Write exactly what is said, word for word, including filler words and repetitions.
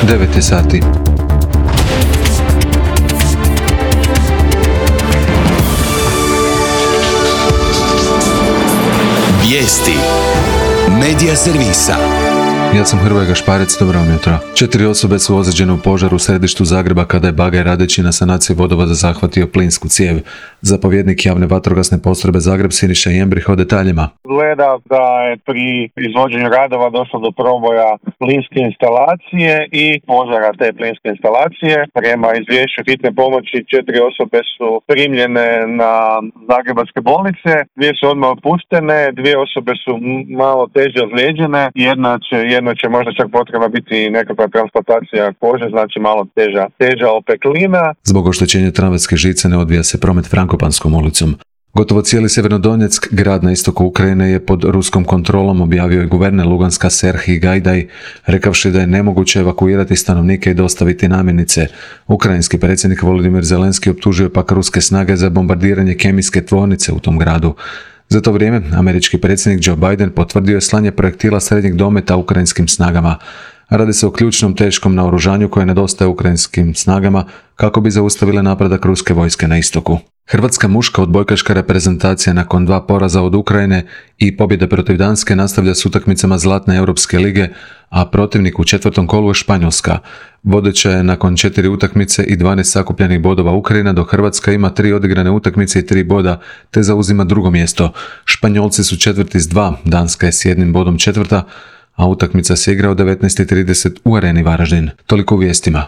devet je sati. Vijesti Medija servisa. Ja sam Hrvoje Gašparec, dobro vam jutro. Četiri osobe su ozlijeđene u požaru u središtu Zagreba kada je bagaj radeći na sanaciji vodovoda zahvatio plinsku cijev. Zapovjednik javne vatrogasne postrojbe Zagreb Siniša Jembrih o detaljima. Gleda da je pri izvođenju radova došlo do proboja plinske instalacije i požara te plinske instalacije. Prema izvješću hitne pomoći četiri osobe su primljene na zagrebačke bolnice, dvije su odmah otpuštene, dvije osobe su malo teže ozlijeđene, jedna će Jedno će možda čak potrebna biti nekakva transplantacija kože, znači malo teža, teža opeklina. Zbog oštećenja tramvajske žice ne odvija se promet Frankopanskom ulicom. Gotovo cijeli Sjevernodonjeck, grad na istoku Ukrajine, je pod ruskom kontrolom, objavio je guverner Luganska Serhij Gajdaj, rekavši da je nemoguće evakuirati stanovnike i dostaviti namirnice. Ukrajinski predsjednik Volodimir Zelenski optužio pak ruske snage za bombardiranje kemijske tvornice u tom gradu. Za to vrijeme, američki predsjednik Joe Biden potvrdio je slanje projektila srednjeg dometa ukrajinskim snagama. Radi se o ključnom teškom naoružanju koje nedostaje ukrajinskim snagama kako bi zaustavile napredak ruske vojske na istoku. Hrvatska muška odbojkaška reprezentacija nakon dva poraza od Ukrajine i pobjede protiv Danske nastavlja s utakmicama Zlatne Europske lige, a protivnik u četvrtom kolu je Španjolska. Vodeća je nakon četiri utakmice i dvanaest sakupljenih bodova Ukrajina, dok Hrvatska ima tri odigrane utakmice i tri boda, te zauzima drugo mjesto. Španjolci su četvrti s dva, Danska je s jednim bodom četvrta, a utakmica se igra u devetnaest i trideset u Areni Varaždin. Toliko u vijestima.